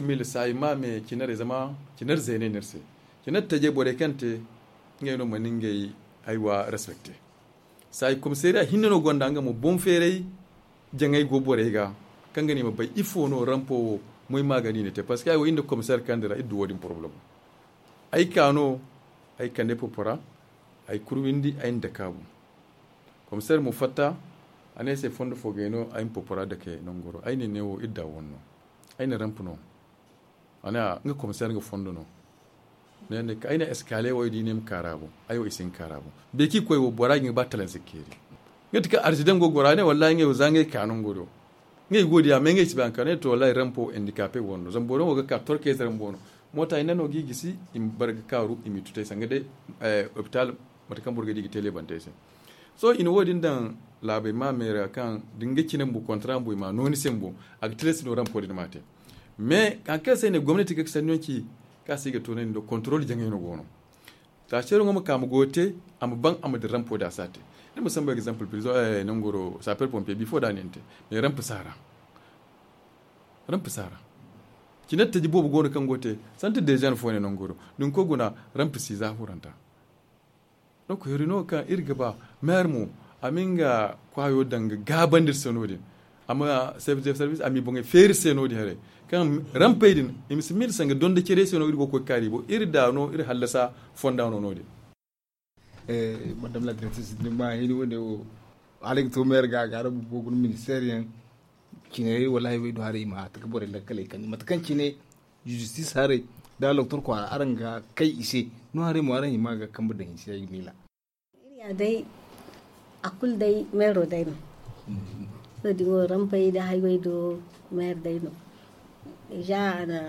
Mille saayi ma me cinarey zama cinar zeeney no iri se. Cinar tajey borey kaŋ te ngey no mana ngey aywa respecte. Saayi komisariya hinne no gonda nga mo boŋ feeray jaŋay go borey ga kaŋ ga ne i ma bay ifo no rampo wo moy ma ga ni ne te parce que ay wo iri nda komisariya kaŋ dira iri du wo- din problème. Ay ka no ay kande popora ay kurwindi ay na dake a boŋ. Komisariya mo fatta a ne ay se fondo fo gay no ay ma popora dake nanguro ay ne ne wo iri da wonno. Ay na ramp no a ne a nga komisariya nga fondo no. Ne ne ay na eskale wo ay di ne ma kaara boŋ ay wo i si hin kaara boŋ. Beeki koy wo bora ga ba talanse keeri. Nga ti ka arzidan go gora ne wallahi nga yo za nga ka nanguro. Nga i go diya me nga i si ba nga ka ne to wallahi rampo handicapé wono zama boro wo ga ka torke zaran bono. Moota hinne no ga i gisi i ma bar ga kaaru i ma i tutay sanga day hôpital mate kaŋ boro ga di ga te lebantey se. Sohõ i na wo- din daŋ laabey ma meera kaŋ da ni ga cine bumbo kontra bumbo i ma a no ni se bumbo a ga tilas no rampo din ma te. Mais hari kaŋ se ay ne gomnati ga sanniyaŋ ci kaŋ a se i ga toonandi nda contrôle jaŋay no go no. Taasero ŋwa ma ka ma goyo te a ma baŋ a ma dira rampo da a si a te. Ni ma sambu exemple prison nanguro sapeur pompier bifo da a ne ni te. Mais ramp si a ra. Ramp si a ra. Cine taji boobo go no kaŋ go te santi dejan fo ne nanguro. Ni ma koy guna ramp si za huranta. Donc heri no kaŋ iri ga ba maire mo a ma nga kwaayo daŋ ga gaabandi iri se no- din. A ma chef de service a m'i boŋey feeri iri se no- din haray kaŋ rampey din i ma si miila sanga donda care se no iri go ga koy kaari i boŋ iri da no iri hallasa fonda no no- din. Madame la directrice ni ma hini wane wo hala ga to maire ga a ga arabu go guna ministère yaŋ. Cine wala hayway do haray i ma hata ga borey lakkaley kande mate kaŋ cine justice haray da docteur kwaara araŋ ga kay i se no haray mo araŋ hima ga kambe daŋ i se ay ga miila. Iri ya day a kulu day meero day no. Sohõ din wo rampey da hayway do meer day no. Déjà a na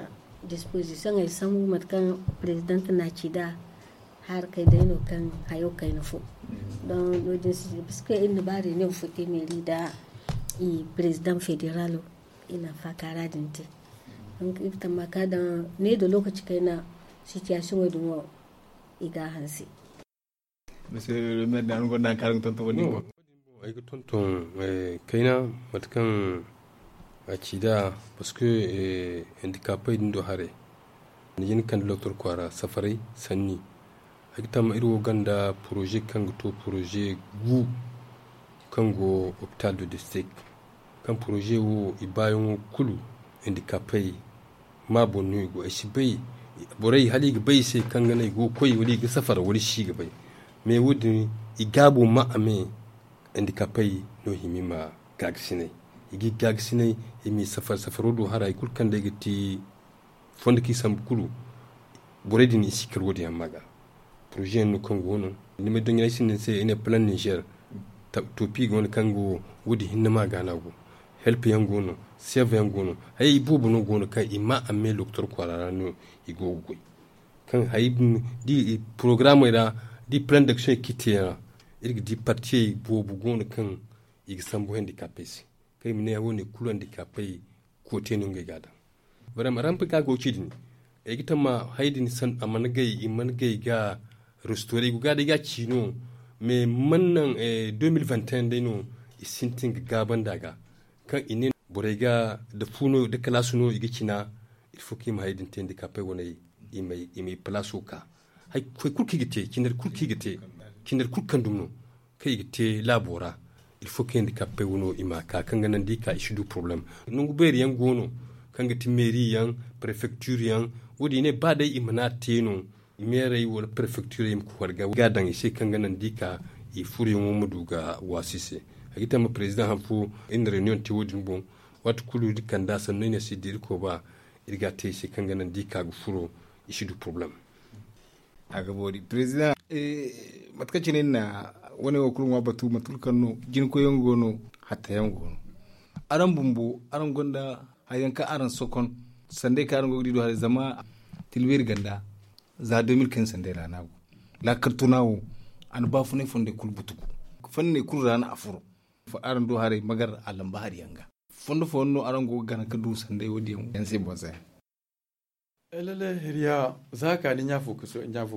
disposition ay sambu mate kaŋ président na ci da harkey day no kaŋ hayo kayna fo. Donc no- din si parce que iri na ba réunion fo te mairie da i président fédéralo. I na faakaara din te. Donc iri tamma ka daŋ ne da lokaci kayna situation wo- din wo i ga a hanse. Monsieur le maire, da araŋ gonda hari kaŋ araŋ ga tonton wo-din boŋ? Ay ga tonton kayna mate kaŋ a ci nd'a, parce que handicapey din do haray, ni ga hin ga kande doktor kwaara safaray sanni. Ay ga tamma iri wo gonda poroze kaŋ ga to poroze gu kaŋ go hopital du district, kaŋ poroze wo i baayaŋo kulu handicapey ma boŋ no i go. Ay si bay borey hala i ga bay i se kaŋ ga naŋ i go ga koy wala i ga safara wala i si ga bay. Mais wo-din i gaabo ma a me handicapey no hima i ma gaagasinay. I ga i gaagasinay i ma i safara safaro do haray kulu kaŋ day ga ti fondo kaŋ i sambu kulu. Borey din i si kar wo-din yaŋ ma ga poroze yaŋ no kaŋ go no. Ni ma ay doŋ yaŋ ay sinda ni se i ne plan niger, topi go no kaŋ go wo-din hinne ma ga no a go. Help yaŋ go no, serve yaŋ go no. Hayey boobo no go no kaŋ i ma a me doktor kwaara ra no i go ga goy. Kaŋ hayey di i programmey ra, di plan d'action i ga te yaŋ ra, iri ga di partiyey boobo go no kaŋ i ga sambu handicapey se. Kaŋ i ma ne wo- ne kulu handicapey koote no ngey ga a daŋ. Barama rampe kaŋ a go ga ci din, ay ga tamma hayey din a mana gay i mana gay ga restore i go ga day ga a ci no. Mais mana naŋ deux mille vingt et un day no i sintin ga gaaba nd'a ga, kaŋ i ne borey ga da fu no da kalaasu no i ga cina. Il faut kaŋ i ma hayey din te handicapey wane i ma i palaaso ka hari kulu kaŋ i ga te cindari kulu kaŋ i ga te cindari kulu kaŋ dumi no kaŋ i ga te laabo ra. Il faut kaŋ handicapey wano i ma ka kaŋ ga naŋ da i ka i si du problème. Nangu beeri yaŋ go no kaŋ ga ti meeri yaŋ, prefecture yaŋ, wo- din i ne ba day i mana te no meerey wala prefecturey ma koy warga ga daŋ i se kaŋ ga naŋ da i ka i furoyaŋo ma du ga waasi i se. Ay ga tamma président han fo iri na reunion te wo- din boŋ. Waati kulu iri kand'a sanno i ne si da irkoy ba iri ga a te i se kaŋ ga naŋ da i ka ga furo i si du problème. A ga boori président. Mate kaŋ cine ni na wane wo kulu ŋwa batu mate kulu kaŋ no jinkoy yaŋ go no, hatta yaŋ go no. Araŋ bumbo araŋ gonda hari yaŋ kaŋ araŋ sokon sanday kaŋ araŋ go ga di do haray zama tilbeeri ganda za deux mille quinze sanday ra no a go. Laakal tuna wo a na baafunay fondey kulu butugu fanney kulu ra no a furo. Araŋ do haray magar a lamba hari yaŋ ga fondo fooyaŋ no araŋ go ga gana ga du sanday wo- din yaŋ se boŋ se. Lalle hiriya za ka di ɲa fo ga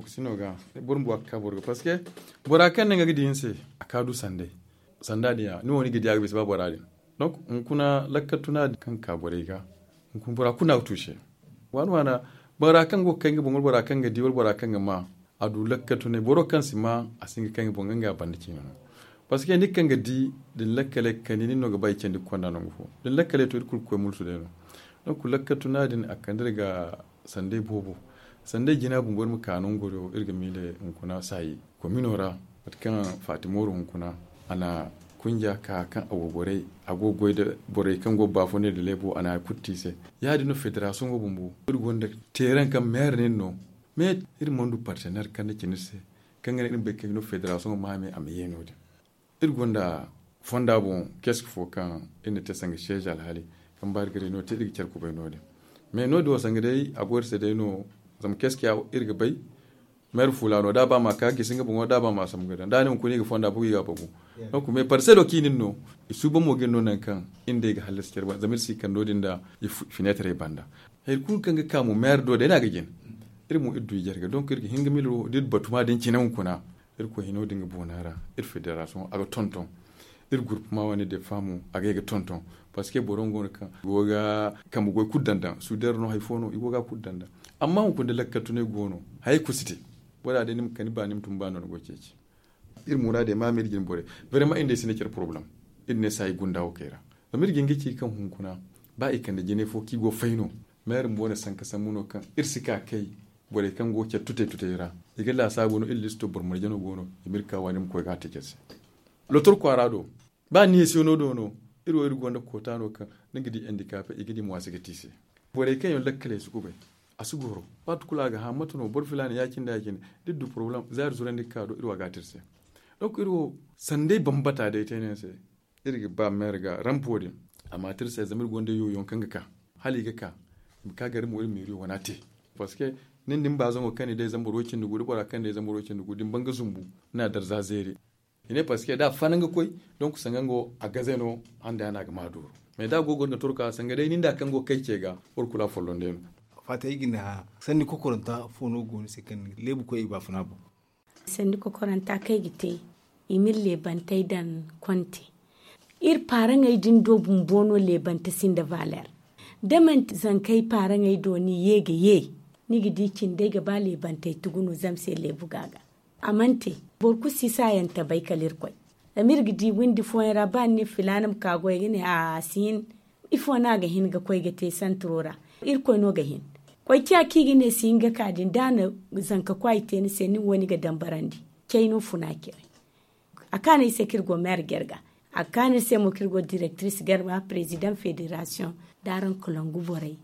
si no ga boro ma bu a ga ka boro ga parce que bora kaŋ naŋ ga di ni se a ka du sanday. Sanda din ya ni wo ni ga di a ga bisa ba bora din. Donc hunkuna lakkal tuna din kaŋ ga ka borey ga hunkuna bora kulu no a ga tuuse. Waana waana bora kaŋ go ga kay nga boŋ wala bora kaŋ ga di wala bora kaŋ ga ma a du lakkal tunay boro kaŋ si ma a si hin ga kay nga boŋ nga banda ciine no. Parce que ni kaŋ ga di da ni lakkaley ga kani nin no ga ba i candi ga konda nangu fo da ni lakkaley to iri kulu ga koy mulsu day no. Donc lakkal tuna din a ga kande iri ga sanday boobo. Sanday jina bumbo iri ma ka nango do iri ga miile hunkuna saayi komino ra mate kaŋ faati mooru hunkuna a na kunja ka kaŋ a go goray a go ga goy da borey kaŋ go ga baafunay da leebo a na hari kulu te i se. Ya- din no federasiyoŋo bumbo iri gonda teeraŋ kaŋ meere no iri no. Mais iri mana du parteneer kaŋ na cine iri se kaŋ ga naŋ iri ma bay kaŋ i no federasiyoŋo ma a me a ma ye no- din. Iri gonda fonda boŋ keski fo kaŋ iri na te sanga seeje alhaali kaŋ ba iri ga reunion te iri ga care kubay no- din. Mais no- din wo sanga day a go iri se day no zama keski ya iri ga bay meere fuula no da a ba ma ka gisi nga boŋo da a ba ma sambu ga daŋ da a ne hunkuna i ga fonda bugu i ga a bagu. Donc mais parcelo kaŋ i na iri no i suuban mo ga iri no nangu kaŋ iri nd'ey ga hallasi care banda zama iri si kande no- din nda fineetarey banda. Hari kulu kaŋ ga ka mo meere do day no a ga jin. Iri mo iri du i jarga donc iri ga hin ga miila wo da iri batuma din cine hunkuna. Irkoy hino din ga boona ra iri federasiyoŋo a ga tonton. Iri gurpuma wane defa mo a ga ye ga tonton. Parce que boro nga go no kaŋ go ga kambe goy kulu daŋ daŋ suudero no hari fo no i go ga kulu daŋ daŋ. Amma hunkuna da lakkal tunay go no hayey kulu si te. Bora day ni ma kani ba ni ma tun ba no ni go ga ceeci. Iri muraadey ma ma iri jine borey. Vraiment iri nd'ey si ne care problème. Iri ne saayi gunda wo kay ra zama iri ga hin ga ci kaŋ hunkuna ba i kande jinay fo kaŋ i go ga fay no. Meere bumbo wane sanka sambu no kaŋ iri si ka kay borey kaŋ go ga care tutey tutey ra. I ga laasaabu no iri listo boro marje no go no i ma iri ka waani ma koy ga a te care se. Lotor kwaara do ba neesiyono do no iri wo iri gonda koota no kaŋ ni ga di handicapé i ga di mo a si ga te i se. Borey kaŋ yaŋ lakkaley si kubay a si goro. Waati kulu a ga hã mate no boro filaana ya- cine da ya- cine da iri du problème za iri zurandi ga ka do iri wo a ga a te iri se. Donc iri wo sanday bambata day te no yaŋ se. Iri ga ba meere ga rampo din a ma te iri se zama iri gonda yoyoŋ kaŋ ga ka hala i ga ka i ma ka gar iri mo iri meeriyo wane a te. Parce que nin da ni baazaŋo kaŋ ni day zama boro way cindi gu da bora kaŋ ni day zama boro way cindi gu da ni ban ga zumbu ni na darza zeeri. I ne parce que da a fanaŋ ga koy donc sanga nga wo a gaze no handa ya no a ga ma dooru. Mais da a go ga goro ga torka sanga day nin da kaŋ go ga kay ce ga boro kulu a folloŋ day no. Faata ay ga ne, sanni kokoranta fo no go ni se kaŋ leebu koy i baafuna boŋ? Sanni kokoranta kaŋ ay ga te, i ma iri leebantey daŋ konte. Iri paaraŋey din do bumbo no leebante sinda valeer. Da manti zankey paaraŋey do ni ye ga ye, ni ga di cindey ga ba leebantey tugu no zama se leebu ga ga. A mana te, boro kulu si saayante bay kala irkoy. Zama iri ga di windi fooyaŋ ra ba ni ne filaana ma ka goy ga ne a si hin. Ifo no a ga hin ga koy ga te santiro ra? Irkoy no ga hin. Koy ciya kaŋ i ga ne si hin ga ka din da a na zanka kwaay te ni se nin wo ni ga dambarandi. Cay no funa cay. A kaanu ay se kaŋ iri go meer jarga. A kaanu iri se mo kaŋ iri go direktiris garba president federasiyoŋ da araŋ kalangu borey.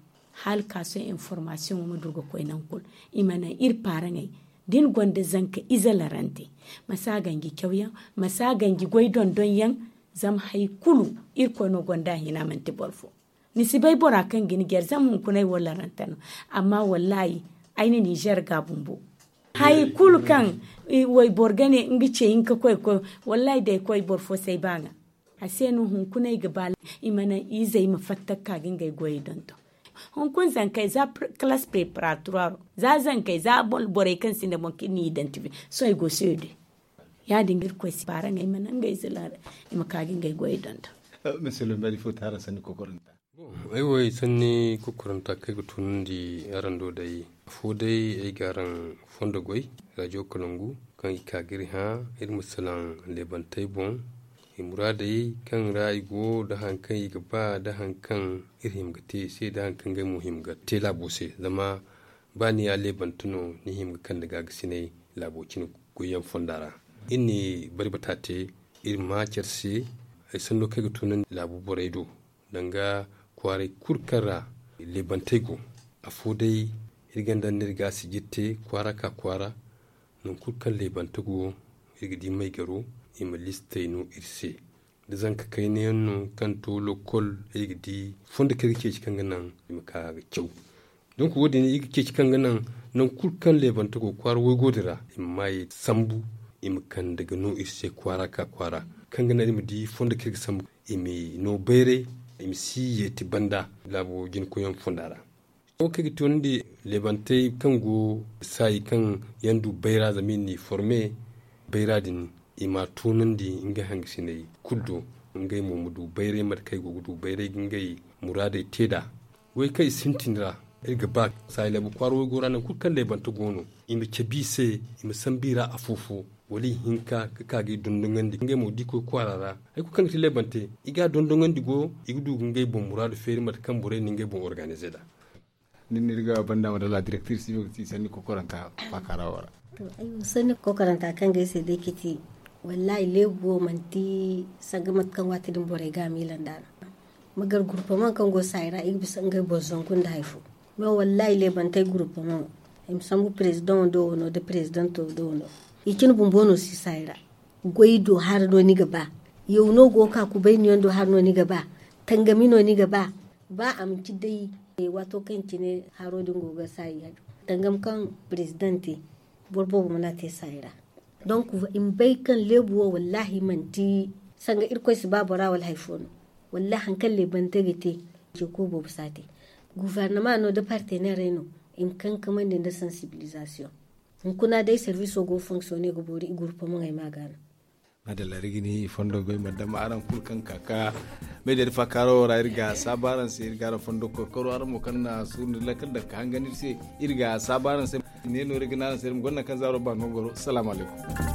Hala ka sohõ informasiyoŋo ma du ga koy nangu kulu. I ma naŋ iri paaraŋey da ni gonda zanka ize larante, ma si a ganji cawyaŋ, ma si a ganji goy dondonyaŋ. Zama hari kulu irkoy no gonda a hina manti boro fo. Ni si bay bora kaŋ ga ni jare zama hunkuna ay wo larante no. Amma wallahi ay na nizer ga bumbo. Hari kulu kaŋ wayboro ga ne nga ce hinka koy ga koy, wallahi da ay koy boro fo si ay ba ŋwa. A se no hunkuna ay ga ba i ma naŋ izey ma fatta ga ka ga ngey goyey donton. Hunkuna zankey za kalaasi preparaturaaro, za zankey za borey kaŋ sinda boŋ kaŋ iri na idantife, sohõ ay go seede. Ya- din ga irkoy si paaraŋey ma naŋ ngey zila i ma ka ga ngey goyey donton. Misilim bari fo taara sanni kokoranta. Ay wo ay sanni kokoranta kaŋ ay ga tunandi araŋ do day. Afo day ay ga araŋ fondo goy, rajo kalangu kaŋ i ka ga iri hã iri ma salaŋ leebantey boŋ. I muraadey kaŋ ra i go da haŋ kaŋ i ga ba da haŋ kaŋ iri hima ga te i se da haŋ kaŋ ngey mo hima ga te laabo se. Zama ba ni ya leebante no ni hima ga kande gaagasinay laabo cine goyyaŋ fonda ra. Iri na bari bata te iri ma care se. Ay sanno kaŋ ay ga tunandi laabu borey do danga kwaaray kulu kaŋ ra leebantey go. Afo day iri ga ni daŋ no iri ga a sijir te kwaara ka kwaara. Nangu kulu kaŋ leebante go iri ga di maygaro i ma listey no iri se. Da zanka kayna yaŋ no kaŋ to lokol, ay ga di fondo kaŋ ay ga ceeci kaŋ ga naŋ i ma ka ga caw. Donk wo- din i ga ceeci kaŋ ga naŋ nangu kulu kaŋ leebante go kwaara waygo din ra i ma maayey sambu, i ma kande ga no iri se kwaara ka kwaara kaŋ ga naŋ iri ma di fondo kaŋ iri ga sambu, i ma no bayray, i ma si yeeti banda laabo jina koyyaŋ fonda ra. Wo kaŋ ga toonandi leebantey kaŋ go saayi kaŋ yaŋ du bayra zama i n'i forme bayra din, i ma toonandi ngey hangasiney kulu do. Ngey mo ma du bayray mate kaŋ i go ga du bayray ga ngey muraadey te nd'a. Goy kaŋ i sintin ra iri ga ba saayi laabu kwaara waygo ra nangu kulu kaŋ leebante go no, i ma cabe i se, i ma sambu i ra afo-fo, wala i hinka ga ka ga i dondonandi ngey mo da i koy kwaara ra. Hari kulu kaŋ ga ti leebante, i ga a dondonandi go, i ga du ga ngey boŋ muraadu feeri mate kaŋ borey na ngey boŋ organize nd'a. Nin no iri ga banda madalla direktir si no ga ti sanni kokoranta faakara wo ra. To ay wo sanni kokoranta kaŋ ga ay se day ga ti, wallahi leebu wo manti sanga mate kaŋ waati din borey ga a miila nd'a no. Ma gar gurupamaŋ kaŋ go saayi ra i ga bisa ngey boŋ zangu nda hari fo. Me wallahi leebantey gurupamaŋ, i ma sambu perezidaŋo do wano nda perezidanto do wano. I cine bumbo no si saayi ra. Goy do hara no ni ga ba. Yaw no go ga ka kubay ni yaŋ do hara no ni ga ba. Tangami no ni ga ba. Ba a manti day waato kaŋ cine haro din go ga saayi. Tangam kaŋ perezidaŋ te, boro boobo mana te saayi ra. Donk i ma bay kaŋ leebu wo wallahi manti sanga irkoy si ba bora wala hari fo no. Wallahi hari kaŋ leebante ga te, ceeko boobo si a te. Gufarnama no nda partenerey no, i ma kankamandi nda sansibilizasiyoŋ. Hunkuna day serviso go ga fonkisiyone ga boori i gurupamaŋey ma a ga no. Madalla iri ga ni fondo bay ma dama araŋ kulu kaŋ ka ka meediya da faakaaro ra iri ga saabu araŋ se iri ga araŋ fondo koy karo araŋ mo kaŋ na suuru nda lakkal daŋ ka hangan iri se. Iri ga saabu araŋ se. Ne no iri ga ne araŋ se iri ma gonda kaŋ zaaro ba no goro salaamu alaykum.